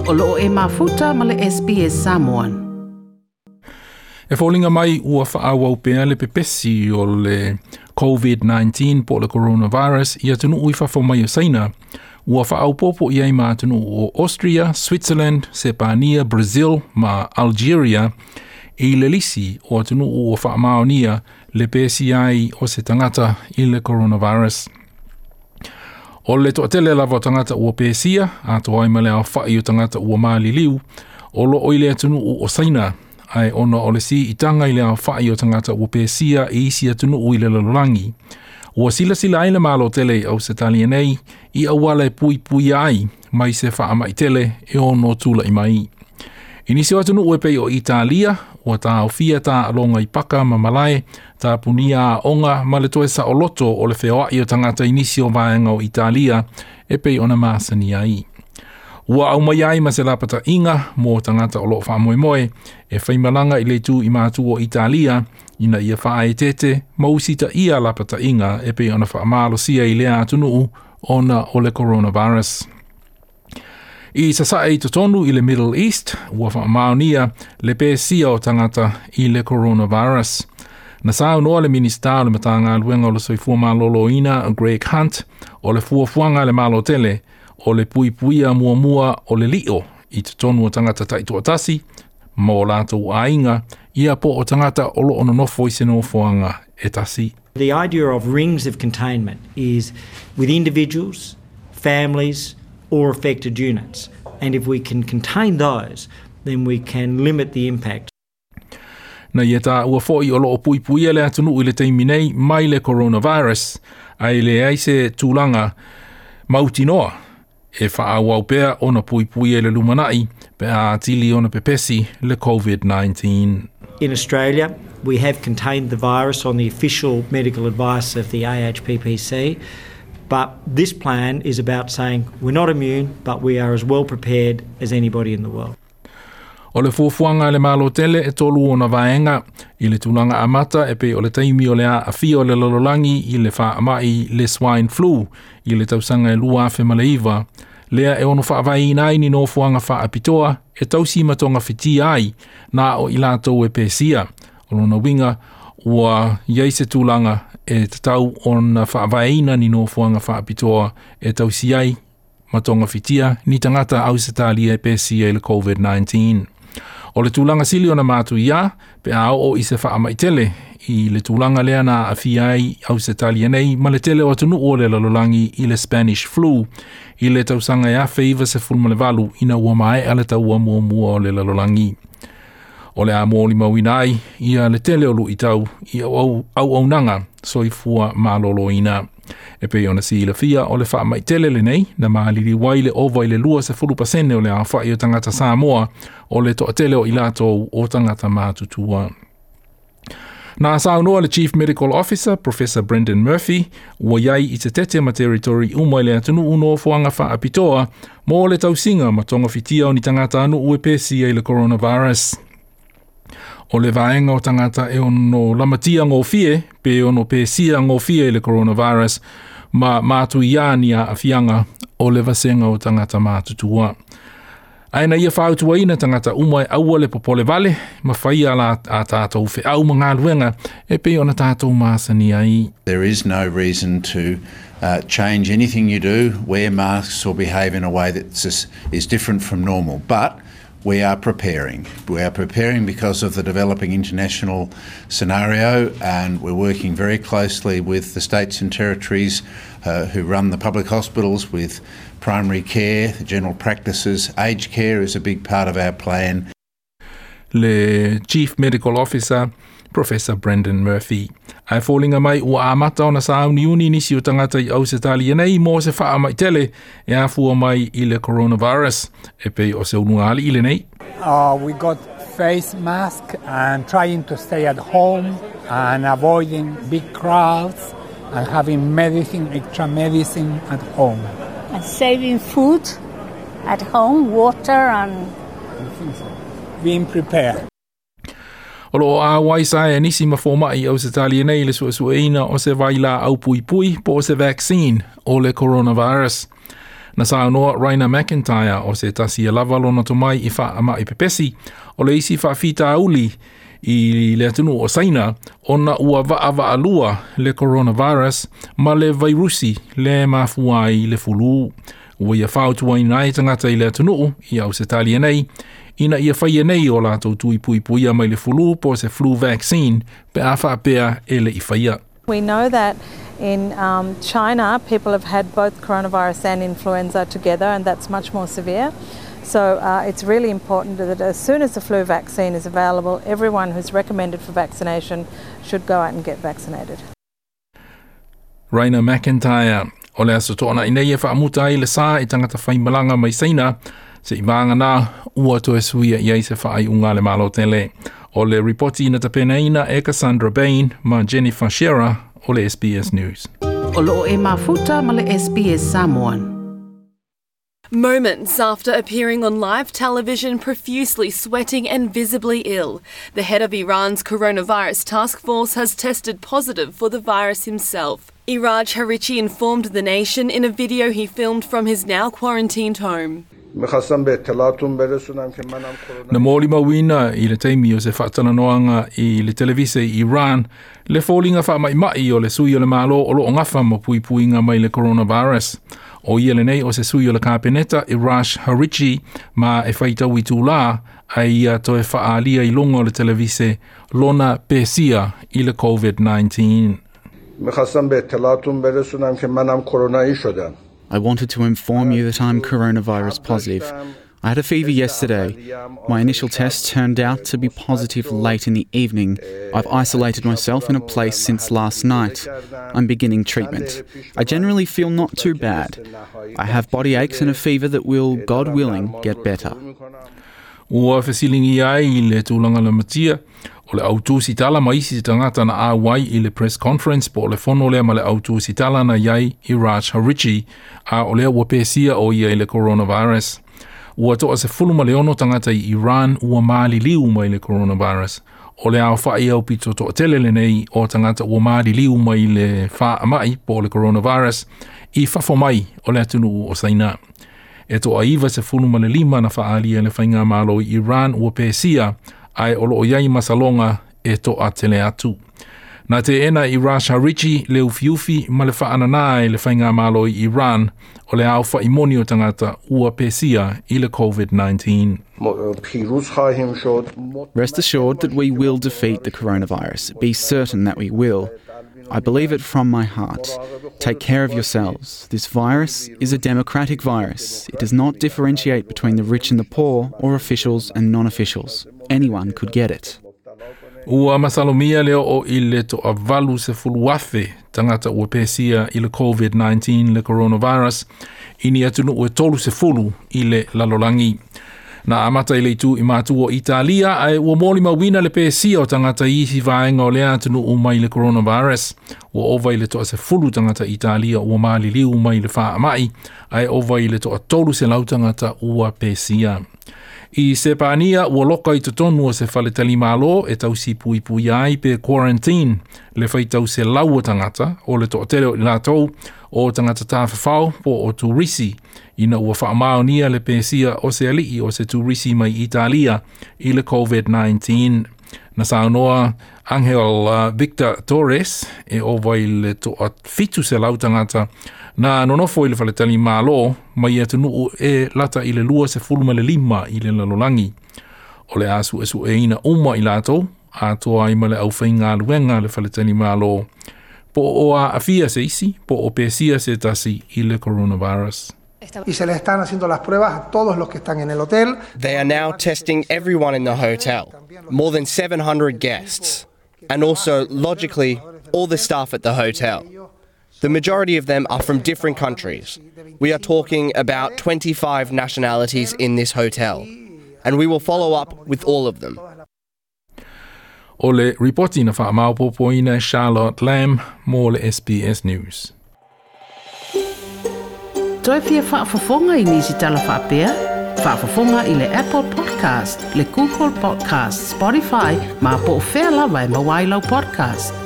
O loo e mafuta ma le SBS Samoan. E foliga mai ua faaauau pea le pepesi o le COVID-19 po o le coronavirus i atunuu i fafo mai o Saina, ua faaopoopo i ai ma atunuu o Austria, Switzerland, Sepania, Brazil ma Algeria i le lisi o atunuu ua faamaonia le pesia ai o se tagata i le coronavirus. O le toatele lava o tagata ua pesia, atoa ai ma le aofai o tagata ua maliliu, o loo i le atunuu o Saina, ae ona o le siitaga i le aofai o tagata ua pesia i isi atunuu i le lalolagi. Ua silasila ai le Malo tele i Ausetalia nei i auala e puipuia ai mai se faamai tele e ono tulai mai. I nisi o atunuu e pei o Italia, ua taofia taaloga i paka ma malae, tapunia aoga ma le toe saoloto o le feoai o tagata i nisi o vaega o Italia e pei ona masani ai. Ua aumai ai ma se lapataiga mo tagata o loo faamoemoe e faimalaga i le itu i matu o Italia ina ia faaeteete ma usitaia lapataiga e pei ona faamalosia i lea atunuu ona o le coronavirus. I sasae i totonu i le Middle East, ua faamaonia le pesia o tagata i le coronavirus. Na saunoa le Minista o le Matagaluega o le Soifua Maloloina Greg Hunt o le fuafuaga a le Malo tele o le puipuia muamua o le lio i totonu o tagata taitoatasi ma o latou aiga ia po o tagata o loo nonofo i se nofoaga e tasi. The idea of rings of containment is with individuals, families, or affected units. And if we can contain those, then we can limit the impact. Na ia taua foi o loo puipuia le atunuu i le taimi nei mai le coronavirus, ae leai se tulaga mautinoa e faaauau pea ona puipuia i le lumanai pe a atili ona pepesi le COVID-19. In Australia, we have contained the virus on the official medical advice of the AHPPC, but this plan is about saying we're not immune, but we are as well prepared as anybody in the world. O le fuafuaga a le Malo tele e tolu ona vaega i le tulaga amata e pei o le taimi o le aafia o le lalolagi i le faamai le swine flu i le tausaga e 2009, lea e ono faavaeina ai ni nofoaga faapitoa e tausi ma togafitia ai na o i latou e pesia. O lona uiga ua i ai se tulaga e tatau ona faavaeina ni nofoaga faapitoa e tausi ai ma togafitia ni tagata Ausetalia e pesia i le COVID-19. O le tulaga sili ona matuia pe a oo i se faamai tele i le tulaga lea na aafia ai Ausetalia nei ma le tele o atunuu o le lalolagi i le Spanish flu i le tausaga e 1918 ina ua maea le taua muamua o le lalolagi. O le a molimauina ai ia le tele o luitau i auaunaga soifua maloloina. E pei ona silafia o le faamai tele lenei na maliliu ai le ova i le 20% o le aofai o tagata Samoa o le toatele o i latou o tagata matutua. Na saunoa le Chief Medical Officer, Professor Brendan Murphy, ua i ai i Te ma territory uma i le atunuu nofoaga faapitoa mo le tausiga ma togafitia o ni tagata nuu e pesia i le coronavirus. O le vaega o tagata e ono lamatia gofie pe ono pesia gofie i le coronavirus ma matuia ni aafiaga o le vasega o tagata matutua. Ae na ia fautuaina tagata uma e aua le popole vale ma faia la a tatou feau ma galuega e pei ona tatou masani ai. There is no reason to change anything you do, wear masks or behave in a way that is different from normal. But we are preparing. We are preparing because of the developing international scenario, and we're working very closely with the states and territories who run the public hospitals, with primary care, the general practices. Aged care is a big part of our plan. Le Chief Medical Officer, Professor Brendan Murphy. Ae foliga mai ua amata ona sauniuni nisi o tagata i Ausetalia nei mo se faamai tele e afua mai i le coronavirus e pei o se ulugalii lenei. We got face mask and trying to stay at home and avoiding big crowds and having medicine, extra medicine at home. And saving food at home, water and being prepared. O loo auai saea nisi ma fomai i Ausetalia nei i le suesueina o se vailaau puipui po o se vaccine o le coronavirus. Na saunoa Raina MacIntyre o se tasi e lava lona tomai i faamai pepesi o le isi faafitauli i le atunuu o Saina ona ua vaavaalua le coronavirus ma le vairusi le mafua ai le fulu. Ua ia fautuaina ai tagata i le atunuu i Ausetalia nei ina ia faia nei o latou tuipuipuia mai le fulu po o se flu vaccine pe a faapea e le i faia. We know that in China, people have had both coronavirus and influenza together, and that's much more severe. So it's really important that as soon as the flu vaccine is available, everyone who's recommended for vaccination should go out and get vaccinated. Raina MacIntyre. O le Aso Toonai nei e faamuta ai le sa i tagata faimalaga mai Saina seiavagana ua toe suia i ai se faaiuga a le Malo tele. O le ripoti na tapenaina e Cassandra Bain ma Jennifer Scherer o le SBS News. O loo e mafuta ma le SBS Samoan. Moments after appearing on live television profusely sweating and visibly ill, the head of Iran's coronavirus task force has tested positive for the virus himself. Iraj Harirchi informed the nation in a video he filmed from his now quarantined home. Na molimauina i le taimi o se faatalanoaga i le televise i Iran le foliga faamaʻimaʻi o le sui o le Malo o loo gafa ma puipuiga mai le coronavirus. O ia lenei o se sui o le Kapeneta Iraj Harirchi ma e faitau itulā a ia toe faaalia i luga o le televise lona pesia i le COVID-19. I wanted to inform you that I'm coronavirus positive. I had a fever yesterday. My initial test turned out to be positive late in the evening. I've isolated myself in a place since last night. I'm beginning treatment. I generally feel not too bad. I have body aches and a fever that will, God willing, get better. Ua fesiligia ai le tulaga lamatia o le autusitala ma isi tagata na auai i le press conference po o le fono lea ma le autusitala na i ai Iraj Harirchi a o lea ua pesia o ia i le coronavirus. Ua 16 tagata i Iran ua maliliu mai le coronavirus. O le aofaʻi aupito toatele lenei o tagata ua maliliu mai le faamai po o le coronavirus i fafo mai o le atunuu o Saina. E 95 na faaalia e le Faigamalo i Iran ua pesia ae o loo i ai masaloga e toatele atu. Na teena e Iraj Harirchi le ufiufi ma le faananā e le Faigamalo i Iran o le aofaʻi moni o tagata ua pesia i le COVID-19. Rest assured that we will defeat the coronavirus. Be certain that we will. I believe it from my heart. Take care of yourselves. This virus is a democratic virus. It does not differentiate between the rich and the poor or officials and non officials. Anyone could get it. Ua masalomia le oo i le 80,000 tagata ua pesia i le COVID-19 le coronavirus i ni atunuu e 30 i le lalolagi. Na amata i le itu i matu o Italia ae ua molimauina le pesia o tagata i isi vaega o lea atunuu mai le coronavirus. Ua ova i le 10 tagata Italia ua maliliu mai le faamai ae ova i le 300 tagata ua pesia. I Sepania ua loka i totonu o se faletalimalo e tausi puipuia ai pe quarantine le faitau selau o tagata o le toatele o i latou o tagata tafafao po o turisi ina ua faamaonia le pesia o se alii o se turisi mai Italia i le COVID-19. Na saunoa Angel Victor Torres e ova i le 700 tagata na nonofo i le faletalimalo mai atunuu e lata i le 25 i le lalolagi. O le a suesueina uma i latou atoa ai ma le aufaigaluega le faletalimalo po o aafia se isi po o pesia se tasi i le coronavirus. Y se le están haciendo las pruebas a todos los que están en el hotel. They are now testing everyone in the hotel, more than 700 guests, and also, logically, all the staff at the hotel. The majority of them are from different countries. We are talking about 25 nationalities in this hotel, and we will follow up with all of them. O le ripoti na faamaopoopoina e Charlotte Lamb mo le SBS News. Toe fia faafofoga i nisi tala faapea? Faafofoga i le Apple Podcast, le Google Podcast, Spotify, ma po o fea lava e maua ai lau podcast.